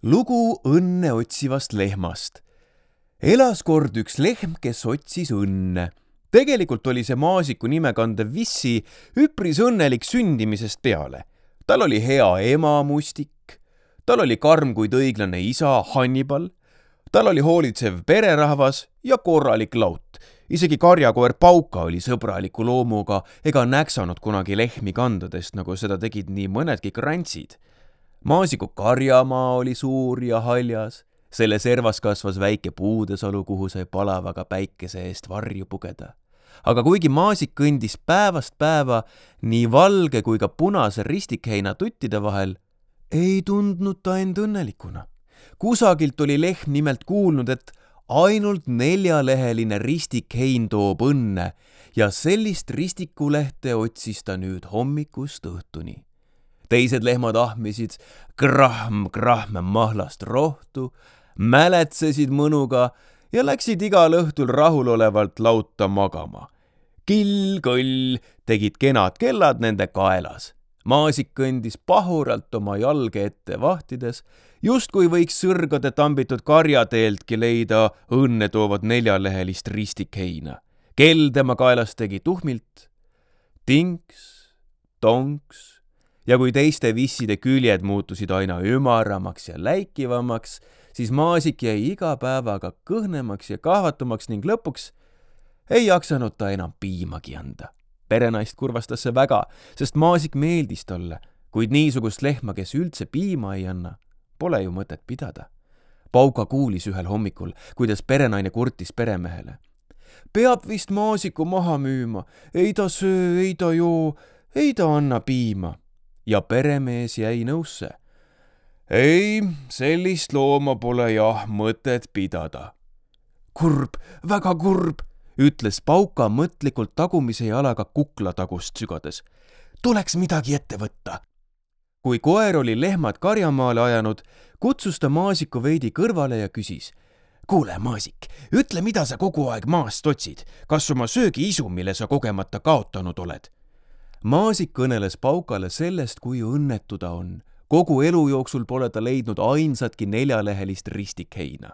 Lugu õnne otsivast lehmast. Elas kord üks lehm, kes otsis õnne. Tegelikult oli see Maasiku nime kandev Vissi üpris õnnelik sündimisest peale. Tal oli hea ema Mustik, tal oli karm kuid õiglane isa Hannibal, tal oli hoolitsev pererahvas ja korralik laut. Isegi karjakoer Pauka oli sõbraliku loomuga ega näksanud kunagi lehmi kandadest, nagu seda tegid nii mõnedki krantsid. Maasiku karjamaa oli suur ja haljas. Selle servas kasvas väike puudesalu, kuhu sai palavaga päikese eest varju pugeda. Aga kuigi Maasik kõndis päevast päeva nii valge kui ka punase ristikheina tuttide vahel, ei tundnud ta end õnnelikuna. Kusagilt oli lehm nimelt kuulnud, et ainult 4-leheline ristikhein toob õnne ja sellist ristikulehte otsis ta nüüd hommikust õhtuni. Teised lehmad ahmisid krahm mahlast rohtu, mäletsesid mõnuga ja läksid igal õhtul rahulolevalt lauta magama. Kill-kõll tegid kenad kellad nende kaelas. Maasik kõndis pahuralt oma jalge ette vahtides, justkui võiks sõrgade tambitud karjateeltki leida õnne toovat 4-lehelist ristikheina. Kell tema kaelas tegi tuhmilt, tinks, tonks, ja kui teiste visside küljed muutusid aina ümaramaks ja läikivamaks, siis Maasik jäi iga päevaga kõhnemaks ja kahvatumaks ning lõpuks ei jaksanud ta enam piimagi anda. Perenaist kurvastas see väga, sest Maasik meeldis talle, kuid niisugust lehma, kes üldse piima ei anna, pole ju mõtet pidada. Pauka kuulis ühel hommikul, kuidas perenaine kurtis peremehele. Peab vist Maasiku maha müüma, ei ta söö, ei ta joo, ei ta anna piima. Ja peremees jäi nõusse. Ei, sellist looma pole jah mõtet pidada. Kurb, väga kurb, ütles Pauka mõtlikult tagumise jalaga kuklatagust sügades. Tuleks midagi ette võtta. Kui koer oli lehmad karjamaale ajanud, kutsus ta Maasiku veidi kõrvale ja küsis. Kuule, Maasik, ütle, mida sa kogu aeg maast otsid. Kas oma söögiisu, mille sa kogemata kaotanud oled? Maasik kõneles Paukale sellest, kui õnnetu ta on. Kogu elu jooksul pole ta leidnud ainsatki 4-lehelist ristikheina.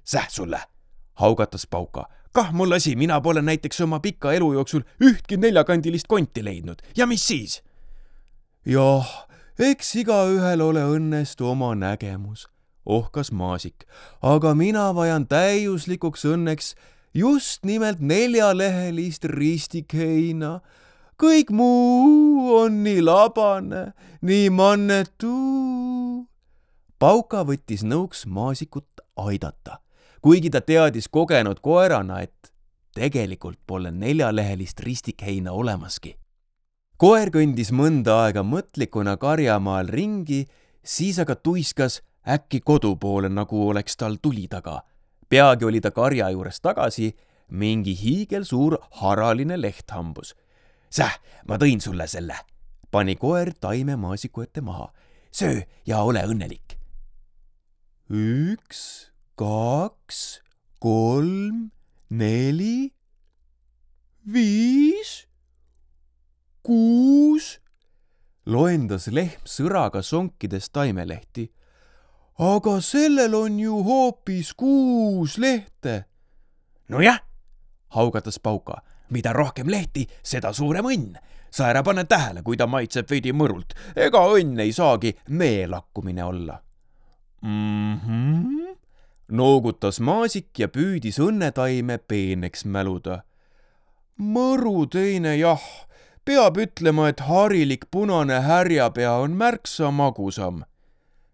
Säh sulle, haugatas Pauka. Kah mul asi, mina pole näiteks oma pika elu jooksul ühtki 4-kandilist konti leidnud. Ja mis siis? Jah, eks igaühel ole õnnest oma nägemus, ohkas Maasik. Aga mina vajan täiuslikuks õnneks just nimelt 4-lehelist ristikheina. Kõik muu on nii labane, nii mannetu. Pauka võttis nõuks Maasikut aidata, kuigi ta teadis kogenud koerana, et tegelikult pole 4-lehelist ristikheina olemaski. Koer kõndis mõnda aega mõtlikuna karjamaal ringi, siis aga tuiskas äkki kodu poole, nagu oleks tal tuli taga. Peagi oli ta karja juures tagasi, mingi hiigelsuur haraline lehthambus. Säh, ma tõin sulle selle, pani koer taime Maasiku ette maha. Söö ja ole õnnelik. 1, 2, 3, 4, 5, 6, loendas lehm sõraga sonkides taimelehti. Aga sellel on ju hoopis 6 lehte. Nojah, haugatas Pauka. Mida rohkem lehti, seda suurem õnn. Sa ära pane tähele, kui ta maitseb veidi mõrult. Ega õnn ei saagi meelakkumine olla. Noogutas Maasik ja püüdis õnnetaime peeneks mäluda. Mõru teine jah. Peab ütlema, et harilik punane härjapea on märksa magusam.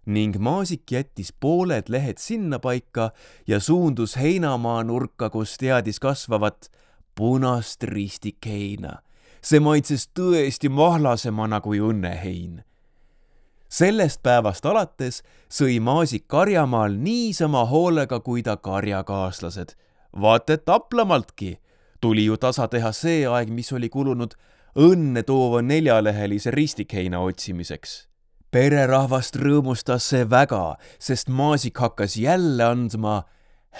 Ning Maasik jättis pooled lehed sinna paika ja suundus heinamaa nurka, kus teadis kasvavat punast ristikheina. See maitses tõesti mahlasemana kui õnnehein. Sellest päevast alates sõi Maasik karjamaal niisama hoolega kui ta karjakaaslased. Vaat et taplamaltki tuli ju tasa teha see aeg, mis oli kulunud õnne toova 4-lehelise ristikheina otsimiseks. Pererahvast rõõmustas see väga, sest Maasik hakkas jälle andma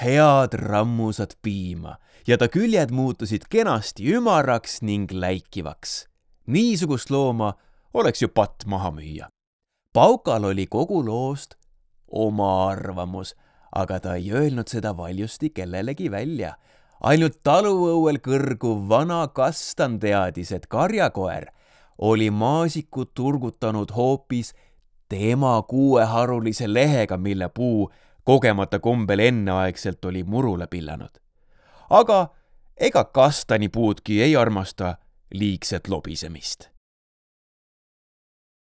head rammusat piima ja ta küljed muutusid kenasti ümaraks ning läikivaks. Niisugust looma oleks ju patt maha müüa. Paukal oli kogu loost oma arvamus, aga ta ei öelnud seda valjusti kellelegi välja. Ainult taluõuel kõrguv vana kastan teadis, et karjakoer oli maasikut turgutanud hoopis tema kuueharulise lehega, mille puu kogemata kombel enneaegselt oli murule pillanud. Aga ega kastanipuudki ei armasta liigset lobisemist.